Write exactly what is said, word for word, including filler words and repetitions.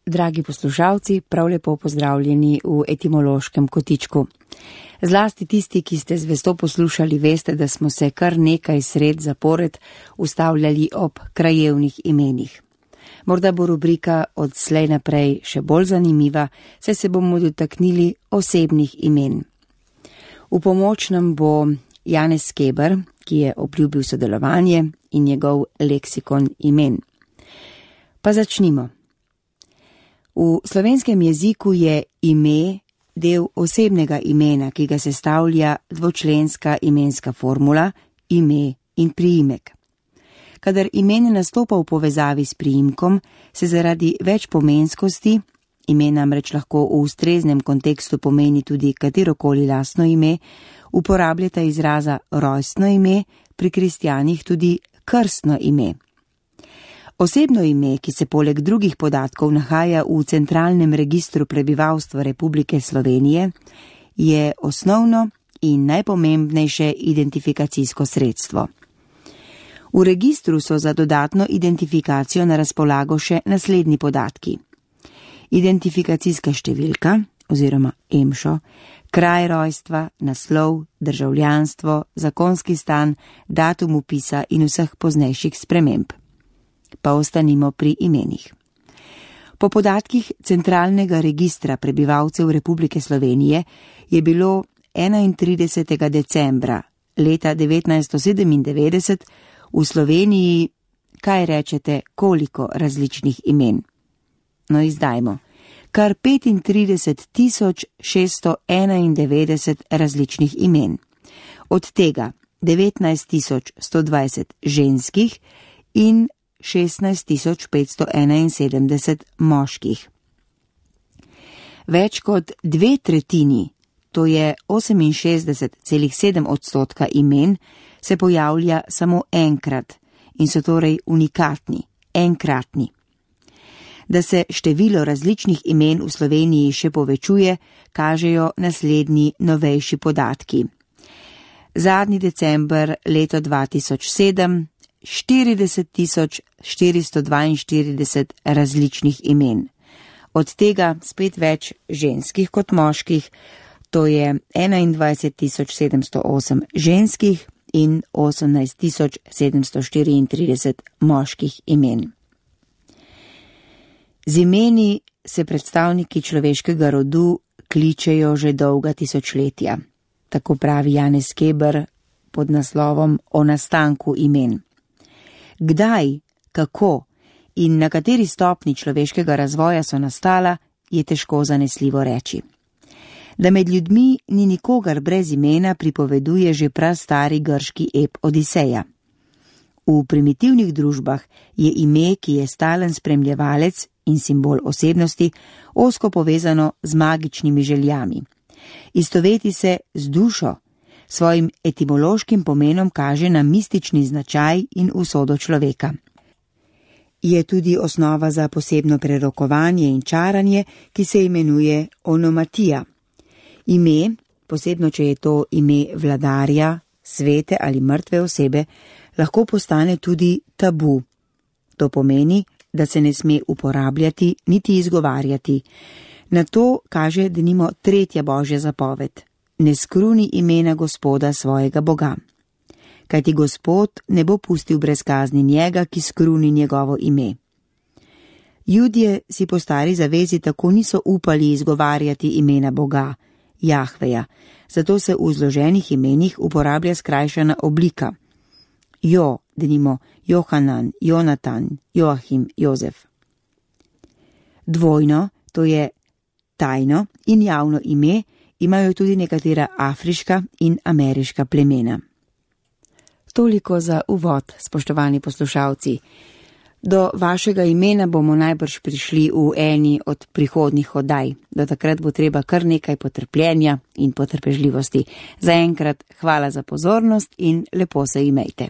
Dragi poslušalci, prav lepo pozdravljeni v etimološkem kotičku. Zlasti tisti, ki ste zvesto poslušali, veste, da smo se kar nekaj sred zapored ustavljali ob krajevnih imenih. Morda bo rubrika od slej naprej še bolj zanimiva, saj se bomo dotaknili osebnih imen. V pomoč nam bo Janez Keber, ki je obljubil sodelovanje, in njegov leksikon imen. Pa začnimo. V slovenskem jeziku je ime del osebnega imena, ki ga sestavlja dvočlenska imenska formula, ime in priimek. Kadar ime ne nastopa v povezavi s priimkom, se zaradi večpomenskosti, ime namreč lahko v ustreznem kontekstu pomeni tudi katerokoli lastno ime, uporabljata izraza rojstno ime, pri kristjanih tudi krstno ime. Osebno ime, ki se poleg drugih podatkov nahaja v centralnem registru prebivalstva Republike Slovenije, je osnovno in najpomembnejše identifikacijsko sredstvo. V registru so za dodatno identifikacijo na razpolago še naslednji podatki. Identifikacijska številka oziroma EMŠO, kraj rojstva, naslov, državljanstvo, zakonski stan, datum vpisa in vseh poznejših sprememb. Pa ostanimo pri imenih. Po podatkih Centralnega registra prebivalcev Republike Slovenije je bilo enaintridesetega decembra leta devetnajststo sedemindevetdeset v Sloveniji, kaj rečete, koliko različnih imen? No, izdajmo. Kar petintrideset tisoč šeststo enaindevetdeset različnih imen. Od tega devetnajst tisoč sto dvajset ženskih in šestnajst tisoč petsto enainsedemdeset moških. Več kot dve tretjini, to je oseminšestdeset celih sedem odstotka imen, se pojavlja samo enkrat in so torej unikatni, enkratni. Da se število različnih imen v Sloveniji še povečuje, kažejo naslednji novejši podatki. Zadnji december leto dva tisoč sedem, štirideset tisoč štiristo dvainštirideset različnih imen. Od tega spet več ženskih kot moških, to je enaindvajset tisoč sedemsto osem ženskih in osemnajst tisoč sedemsto štiriintrideset moških imen. Z imeni se predstavniki človeškega rodu kličejo že dolga tisočletja, tako pravi Janez Keber pod naslovom O nastanku imen. Kdaj, kako in na kateri stopni človeškega razvoja so nastala, je težko zanesljivo reči. Da med ljudmi ni nikogar brez imena, pripoveduje že prastari grški ep Odiseja. V primitivnih družbah je ime, ki je stalen spremljevalec in simbol osebnosti, ozko povezano z magičnimi željami. Istoveti se z dušo, svojim etimološkim pomenom kaže na mistični značaj in usodo človeka. Je tudi osnova za posebno prerokovanje in čaranje, ki se imenuje onomatija. Ime, posebno če je to ime vladarja, svete ali mrtve osebe, lahko postane tudi tabu. To pomeni, da se ne sme uporabljati niti izgovarjati. Na to kaže denimo tretja božja zapoved. Ne skruni imena Gospoda svojega Boga. Kajti Gospod ne bo pustil brez kazni njega, ki skruni njegovo ime. Judje si po stari zavezi tako niso upali izgovarjati imena Boga, Jahveja, zato se v zloženih imenih uporablja skrajšana oblika. Jo, denimo Johanan, Jonatan, Joachim, Jozef. Dvojno, to je tajno in javno ime, imajo tudi nekatera afriška in ameriška plemena. Toliko za uvod, spoštovani poslušalci. Do vašega imena bomo najbrž prišli v eni od prihodnjih oddaj. Do takrat bo treba kar nekaj potrpljenja in potrpežljivosti. Zaenkrat hvala za pozornost in lepo se imejte.